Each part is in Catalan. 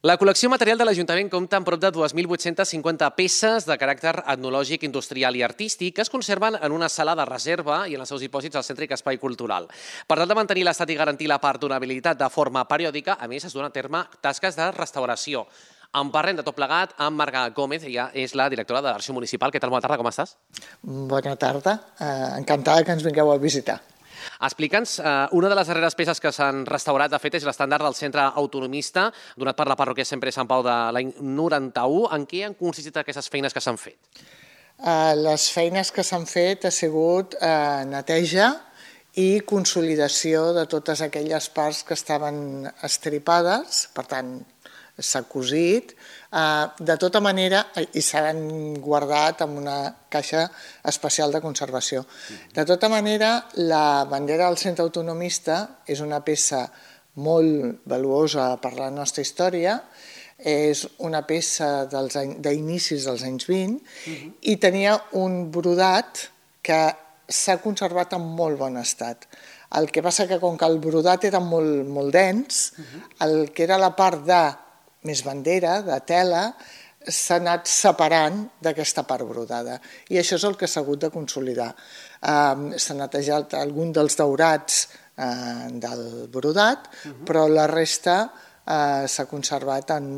La col·lecció material de l'Ajuntament compta amb prop de 2.850 peces de caràcter etnològic, industrial i artístic que es conserven en una sala de reserva i en els seus dipòsits al Cèntric Espai Cultural. Per tal de mantenir l'estat i garantir la perdurabilitat de forma periòdica, a més, es duen a terme tasques de restauració. En parlem de tot plegat amb Marga Gómez, ella és la directora de l'Arxiu Municipal. Què tal? Bona tarda, com estàs? Bona tarda, encantada que ens vingueu a visitar. Explica'ns, una de les darreres peces que s'han restaurat, de fet, és l'estàndard del Centre Autonomista, donat per la parròquia Sempre Sant Pau de l'any 91. En què han consistit aquestes feines que s'han fet? Les feines que s'han fet ha sigut neteja i consolidació de totes aquelles parts que estaven estripades, per tant, s'ha cosit, de tota manera, i s'han guardat en una caixa especial de conservació. De tota manera, la bandera del Centre Autonomista és una peça molt valuosa per la nostra història, és una peça d'inicis dels anys 20 i tenia un brodat que s'ha conservat en molt bon estat. El que passa que com que el brodat era molt dens, el que era la part de més bandera, de tela, s'ha anat separant d'aquesta part brodada. I això és el que s'ha hagut de consolidar. S'ha netejat algun dels daurats del brodat, però la resta s'ha conservat en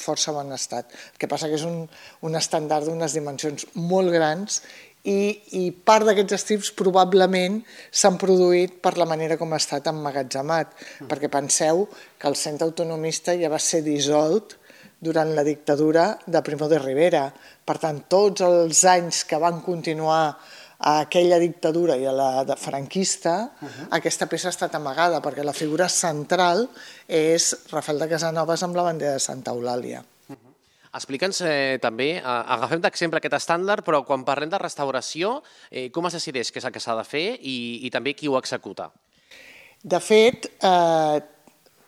força bon estat. El que passa que és un estàndard d'unes dimensions molt grans i part d'aquests estrips probablement s'han produït per la manera com ha estat emmagatzemat, perquè penseu que el Centre Autonomista ja va ser dissolt durant la dictadura de Primo de Rivera. Per tant, tots els anys que van continuar a aquella dictadura i a la franquista, aquesta peça ha estat amagada, perquè la figura central és Rafael de Casanovas amb la bandera de Santa Eulàlia. Explica'ns també, agafem d'exemple aquest estàndard, però quan parlem de restauració, com es decideix què és el que s'ha de fer i també qui ho executa? De fet,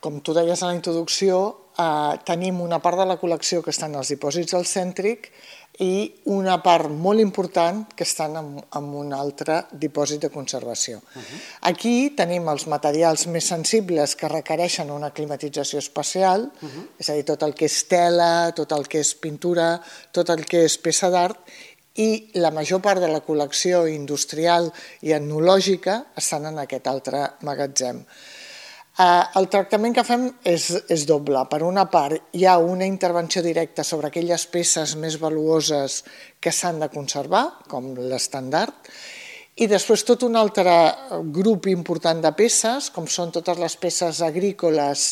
com tu deies a la introducció, tenim una part de la col·lecció que estan als dipòsits del Cèntric i una part molt important que estan en un altre dipòsit de conservació. Aquí tenim els materials més sensibles que requereixen una climatització especial, és a dir, tot el que és tela, tot el que és pintura, tot el que és peça d'art, i la major part de la col·lecció industrial i etnològica estan en aquest altre magatzem. El tractament que fem és doble. Per una part, hi ha una intervenció directa sobre aquelles peces més valuoses que s'han de conservar, com l'estàndard, i després tot un altre grup important de peces, com són totes les peces agrícoles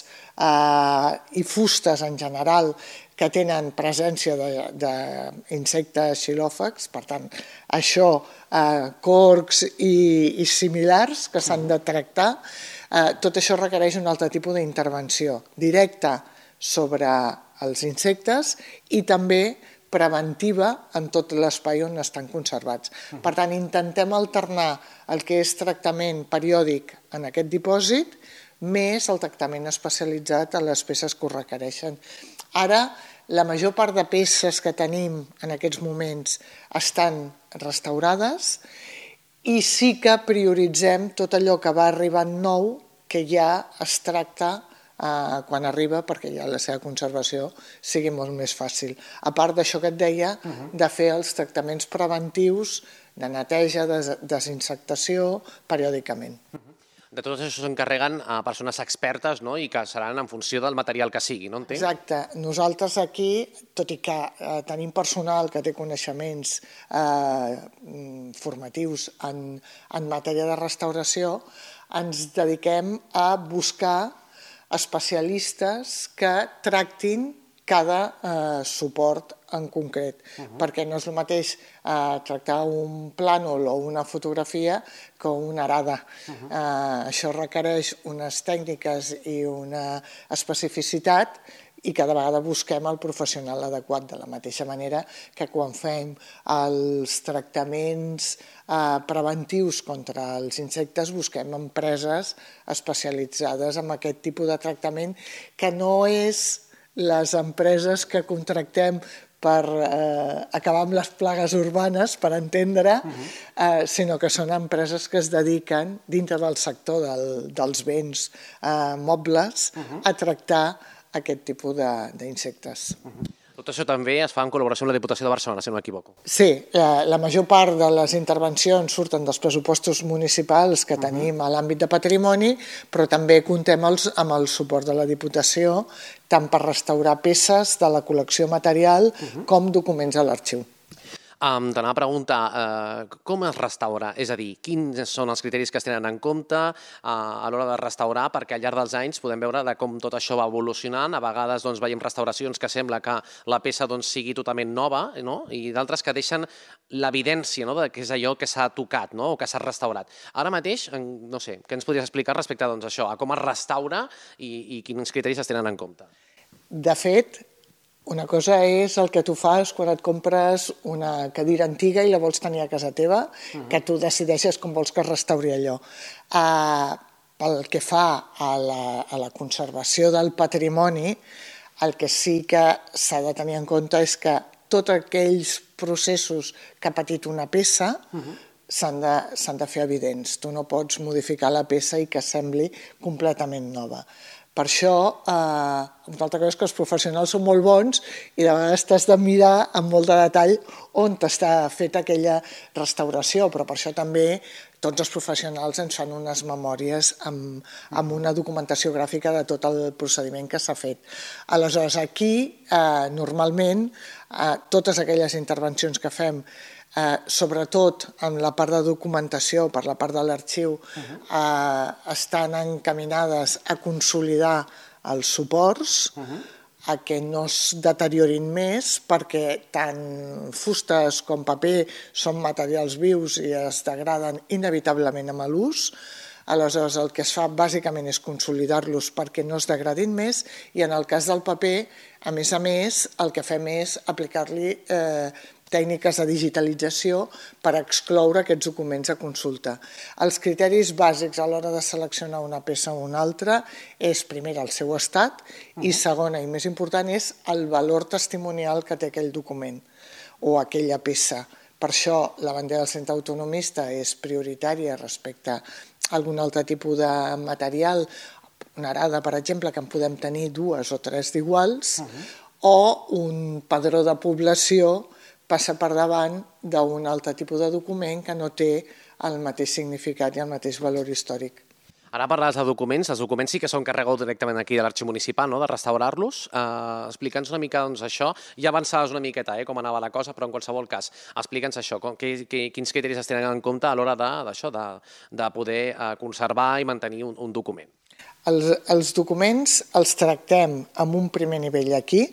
i fustes en general, que tenen presència d'insectes xilòfags, per tant, això, corcs i similars que s'han de tractar. Tot això requereix un altre tipus d'intervenció directa sobre els insectes i també preventiva en tot l'espai on estan conservats. Per tant, intentem alternar el que és tractament periòdic en aquest dipòsit més el tractament especialitzat a les peces que ho requereixen. Ara, la major part de peces que tenim en aquests moments estan restaurades i sí que prioritzem tot allò que va arribant nou que ja es tracta quan arriba perquè ja la seva conservació sigui molt més fàcil. A part d'això que et deia, de fer els tractaments preventius de neteja, desinsectació, periòdicament. De tot això s'encarreguen persones expertes i que seran en funció del material que sigui, no entenc? Exacte. Nosaltres aquí, tot i que tenim personal que té coneixements formatius en matèria de restauració, ens dediquem a buscar especialistes que tractin cada suport en concret, perquè no és el mateix tractar un plànol o una fotografia que una arada. Això requereix unes tècniques i una especificitat i cada vegada busquem el professional adequat, de la mateixa manera que quan fem els tractaments preventius contra els insectes busquem empreses especialitzades en aquest tipus de tractament, que no és les empreses que contractem per acabar amb les plagues urbanes, per entendre, sinó que són empreses que es dediquen, dintre del sector dels béns mobles, a tractar aquest tipus d'insectes. Tot això també es fa en col·laboració amb la Diputació de Barcelona, si no m'equivoco. Sí, la major part de les intervencions surten dels pressupostos municipals que tenim a l'àmbit de patrimoni, però també comptem amb el suport de la Diputació, tant per restaurar peces de la col·lecció material com documents a l'arxiu. T'anava a preguntar, com es restaura? És a dir, quins són els criteris que es tenen en compte a l'hora de restaurar? Perquè al llarg dels anys podem veure com tot això va evolucionant. A vegades veiem restauracions que sembla que la peça sigui totalment nova, i d'altres que deixen l'evidència que és allò que s'ha tocat o que s'ha restaurat. Ara mateix, no sé, què ens podries explicar respecte a això, a com es restaura i quins criteris es tenen en compte? De fet, una cosa és el que tu fas quan et compres una cadira antiga i la vols tenir a casa teva, que tu decideixes com vols que es restauri allò. Pel que fa a la conservació del patrimoni, el que sí que s'ha de tenir en compte és que tots aquells processos que ha patit una peça s'han de fer evidents. Tu no pots modificar la peça i que sembli completament nova. Per això, una altra cosa és que els professionals són molt bons i de vegades t'has de mirar amb molt de detall on està feta aquella restauració, però per això també tots els professionals ens fan unes memòries amb una documentació gràfica de tot el procediment que s'ha fet. Aleshores, aquí, normalment, totes aquelles intervencions que fem, sobretot en la part de documentació, per la part de l'arxiu, estan encaminades a consolidar els suports, a que no es deteriorin més, perquè tant fustes com paper són materials vius i es degraden inevitablement amb l'ús. Aleshores, el que es fa bàsicament és consolidar-los perquè no es degradin més, i en el cas del paper, a més, el que fem és aplicar-li tècniques de digitalització per excloure aquests documents a consulta. Els criteris bàsics a l'hora de seleccionar una peça o una altra és, primer, el seu estat, i segona, i més important, és el valor testimonial que té aquell document o aquella peça. Per això la bandera del Centre Autonomista és prioritària respecte a algun altre tipus de material, una arada, per exemple, que en podem tenir 2 o 3 d'iguals, o un padró de població passa per davant d'un altre tipus de document que no té el mateix significat i el mateix valor històric. Ara parlaves de documents, els documents sí que són carregats directament aquí de l'Arxiu Municipal, de restaurar-los. Explica'ns una mica això, ja avançaves una miqueta com anava la cosa, però en qualsevol cas, explica'ns això, quins criteris es tenen en compte a l'hora de poder conservar i mantenir un document. Els documents els tractem amb un primer nivell aquí.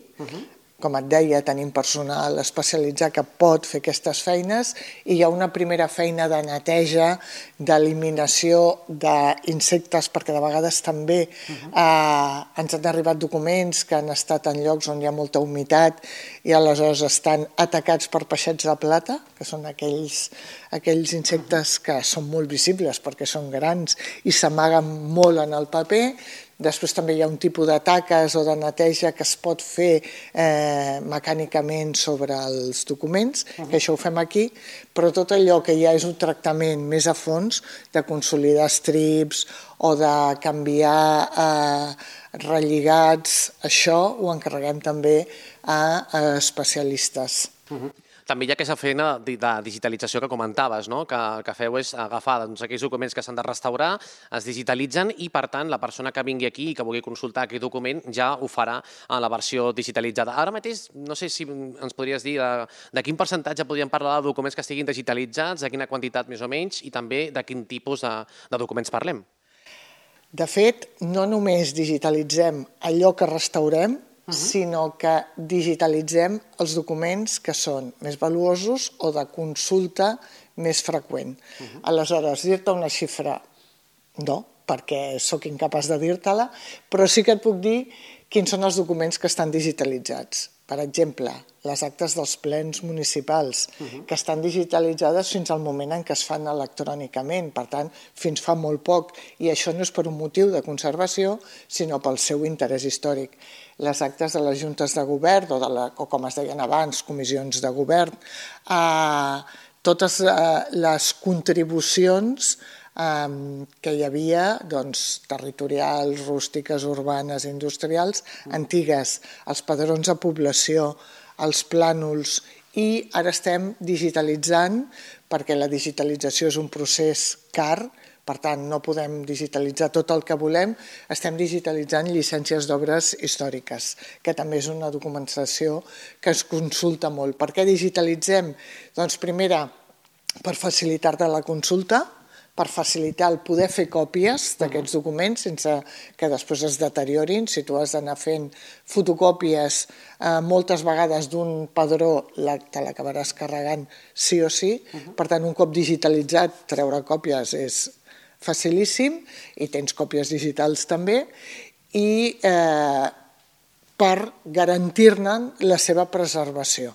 Com et deia, tenim personal especialitzat que pot fer aquestes feines i hi ha una primera feina de neteja, d'eliminació d'insectes, perquè de vegades també ens han arribat documents que han estat en llocs on hi ha molta humitat i aleshores estan atacats per peixets de plata, que són aquells insectes que són molt visibles perquè són grans i s'amaguen molt en el paper. Després també hi ha un tipus de taques o de neteja que es pot fer mecànicament sobre els documents, que això ho fem aquí, però tot allò que ja és un tractament més a fons, de consolidar estrips o de canviar relligats, això ho encarreguem també a especialistes. També hi ha aquesta feina de digitalització que comentaves, que feu és agafar aquells documents que s'han de restaurar, es digitalitzen i, per tant, la persona que vingui aquí i que vulgui consultar aquell document ja ho farà en la versió digitalitzada. Ara mateix, no sé si ens podries dir de quin percentatge podríem parlar de documents que estiguin digitalitzats, de quina quantitat més o menys, i també de quin tipus de documents parlem. De fet, no només digitalitzem allò que restaurem, sinó que digitalitzem els documents que són més valuosos o de consulta més freqüent. Aleshores, dir-te una xifra, no, perquè sóc incapaç de dir-te-la, però sí que et puc dir quins són els documents que estan digitalitzats. Per exemple, les actes dels plens municipals, que estan digitalitzades fins al moment en què es fan electrònicament, per tant, fins fa molt poc, i això no és per un motiu de conservació, sinó pel seu interès històric. Les actes de les juntes de govern, o com es deien abans, comissions de govern, totes les contribucions que hi havia territorials, rústiques, urbanes, industrials, antigues, els padrons de població, els plànols, i ara estem digitalitzant, perquè la digitalització és un procés car, per tant no podem digitalitzar tot el que volem, estem digitalitzant llicències d'obres històriques, que també és una documentació que es consulta molt. Per què digitalitzem? Doncs primera, per facilitar-te la consulta, per facilitar el poder fer còpies d'aquests documents sense que després es deteriorin. Si tu has d'anar fent fotocòpies moltes vegades d'un padró, te l'acabaràs carregant sí o sí. Per tant, un cop digitalitzat, treure còpies és facilíssim i tens còpies digitals també, i per garantir-ne la seva preservació.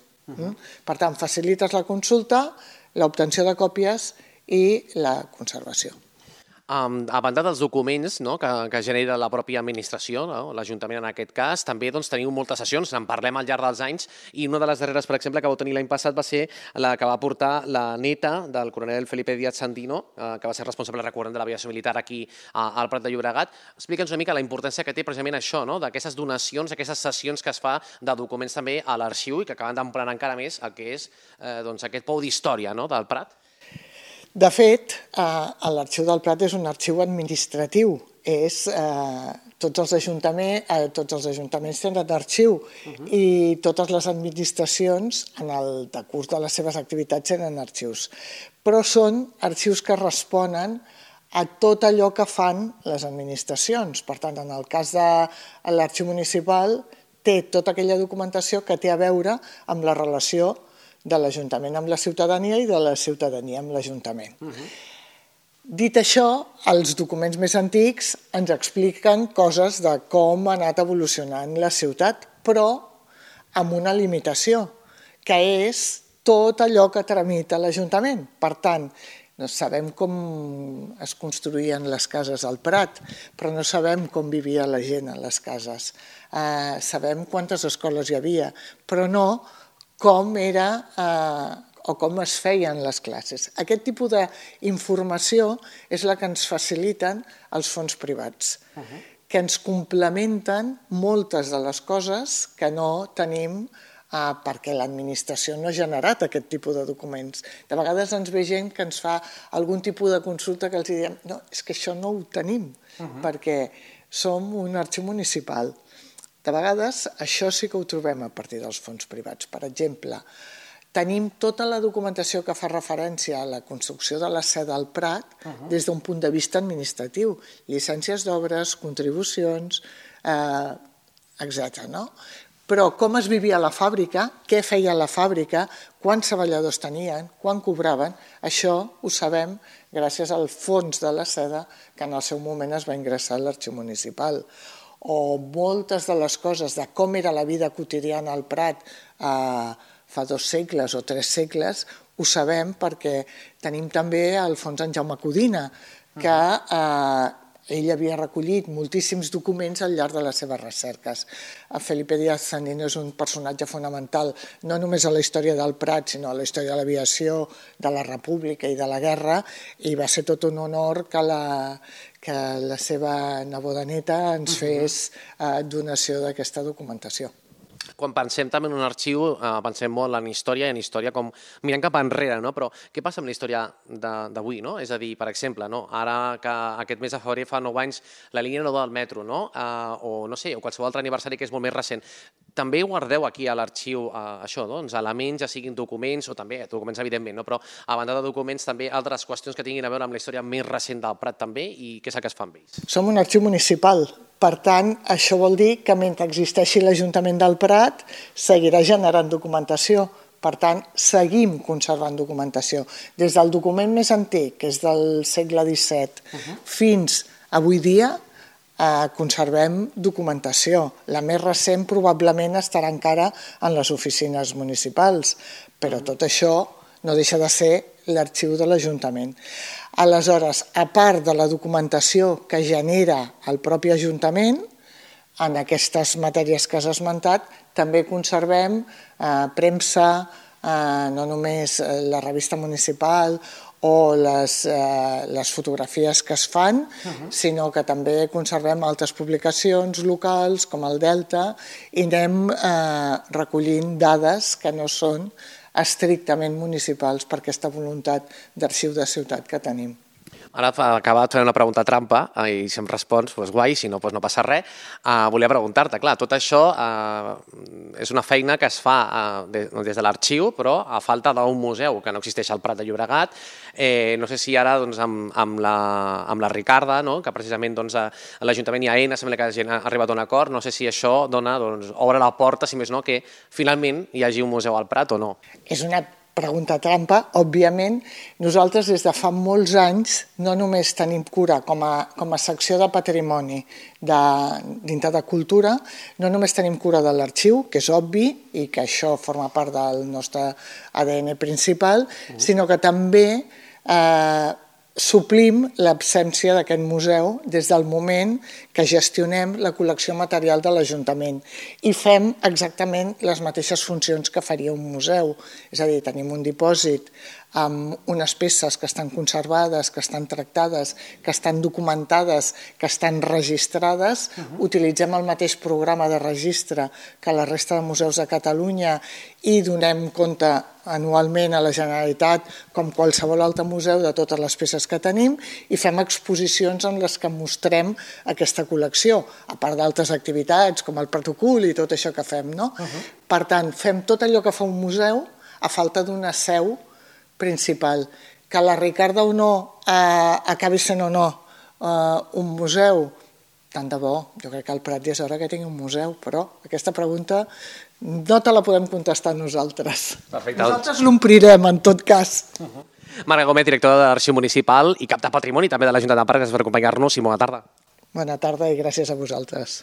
Per tant, facilites la consulta, l'obtenció de còpies i la conservació. A banda dels documents que genera la pròpia administració, l'Ajuntament en aquest cas, també teniu moltes sessions, en parlem al llarg dels anys, i una de les darreres, per exemple, que vau tenir l'any passat va ser la que va portar la neta del coronel Felipe Díaz Sandino, que va ser responsable recurrent de l'aviació militar aquí al Prat de Llobregat. Explica'ns una mica la importància que té precisament això, d'aquestes donacions, aquestes sessions que es fa de documents també a l'arxiu i que acaben d'emplenar encara més el que és aquest pou d'història del Prat. De fet, l'Arxiu del Prat és un arxiu administratiu. Tots els ajuntaments tenen arxiu i totes les administracions en el decurs de les seves activitats tenen arxius. Però són arxius que responen a tot allò que fan les administracions. Per tant, en el cas de l'arxiu municipal, té tota aquella documentació que té a veure amb la relació de l'Ajuntament amb la ciutadania i de la ciutadania amb l'Ajuntament. Dit això, els documents més antics ens expliquen coses de com ha anat evolucionant la ciutat, però amb una limitació, que és tot allò que tramita l'Ajuntament. Per tant, sabem com es construïen les cases al Prat, però no sabem com vivia la gent a les cases. Sabem quantes escoles hi havia, però no com era o com es feien les classes. Aquest tipus d'informació és la que ens faciliten els fons privats, que ens complementen moltes de les coses que no tenim perquè l'administració no ha generat aquest tipus de documents. De vegades ens ve gent que ens fa algun tipus de consulta que els diem no, és que això no ho tenim, perquè som un arxiu municipal. De vegades això sí que ho trobem a partir dels fons privats. Per exemple, tenim tota la documentació que fa referència a la construcció de la seu del Prat des d'un punt de vista administratiu, llicències d'obres, contribucions, etc. Però com es vivia a la fàbrica, què feia la fàbrica, quants treballadors tenien, quan cobraven, això ho sabem gràcies al fons de la seda que en el seu moment es va ingressar a l'arxiu municipal. O moltes de les coses de com era la vida quotidiana al Prat fa 2 segles o 3 segles, ho sabem perquè tenim també el fons en Jaume Codina, que ell havia recollit moltíssims documents al llarg de les seves recerques. Felipe Díaz Sandino és un personatge fonamental no només a la història del Prat, sinó a la història de l'aviació, de la República i de la guerra, i va ser tot un honor que la seva neboda neta ens fes donació d'aquesta documentació. Quan pensem també en un arxiu, pensem molt en història i en història com mirant cap enrere, però què passa amb la història d'avui? És a dir, per exemple, ara que aquest mes de febrer fa 9 anys la línia 9 del metro, o no sé, o qualsevol altre aniversari que és molt més recent, també guardeu aquí a l'arxiu això, elements, ja siguin documents, o també documents evidentment, però a banda de documents també altres qüestions que tinguin a veure amb la història més recent del Prat també, i què és el que es fa amb ells? Som un arxiu municipal. Per tant, això vol dir que mentre existeixi l'Ajuntament del Prat seguirà generant documentació. Per tant, seguim conservant documentació. Des del document més antic, que és del segle XVII, fins avui dia conservem documentació. La més recent probablement estarà encara en les oficines municipals, però tot això no deixa de ser l'arxiu de l'Ajuntament. Aleshores, a part de la documentació que genera el propi Ajuntament, en aquestes matèries que has esmentat, també conservem premsa, no només la revista municipal o les fotografies que es fan, sinó que també conservem altres publicacions locals, com el Delta, i anem recollint dades que no són estrictament municipals per aquesta voluntat d'arxiu de ciutat que tenim. Ara acaba de fer una pregunta trampa i si em respons, doncs guai, si no, no passa res. Volia preguntar-te, clar, tot això és una feina que es fa des de l'arxiu, però a falta d'un museu que no existeix al Prat de Llobregat. No sé si ara amb la Ricarda, que precisament a l'Ajuntament i a Aena sembla que ha arribat a un acord, no sé si això obre la porta, si més no, que finalment hi hagi un museu al Prat o no. És una pregunta trampa. Òbviament, nosaltres des de fa molts anys no només tenim cura com a secció de patrimoni dintre de cultura, no només tenim cura de l'arxiu, que és obvi i que això forma part del nostre ADN principal, sinó que també suplim l'absència d'aquest museu des del moment que gestionem la col·lecció material de l'Ajuntament i fem exactament les mateixes funcions que faria un museu. És a dir, tenim un dipòsit amb unes peces que estan conservades, que estan tractades, que estan documentades, que estan registrades. Utilitzem el mateix programa de registre que la resta de museus de Catalunya i donem compte anualment a la Generalitat, com qualsevol altre museu, de totes les peces que tenim i fem exposicions en les que mostrem aquesta col·lecció, a part d'altres activitats com el protocol i tot això que fem. Per tant, fem tot allò que fa un museu a falta d'una seu principal. Que la Ricarda o no acabi sent o no un museu, tant de bo, jo crec que al Prat ja és hora que tingui un museu, però aquesta pregunta no te la podem contestar nosaltres. Perfecte. Nosaltres l'omplirem, en tot cas. Marga Gómez, directora de l'Arxiu Municipal i cap de Patrimoni també de l'Ajuntament de Parc, gràcies per acompanyar-nos i bona tarda. Bona tarda i gràcies a vosaltres.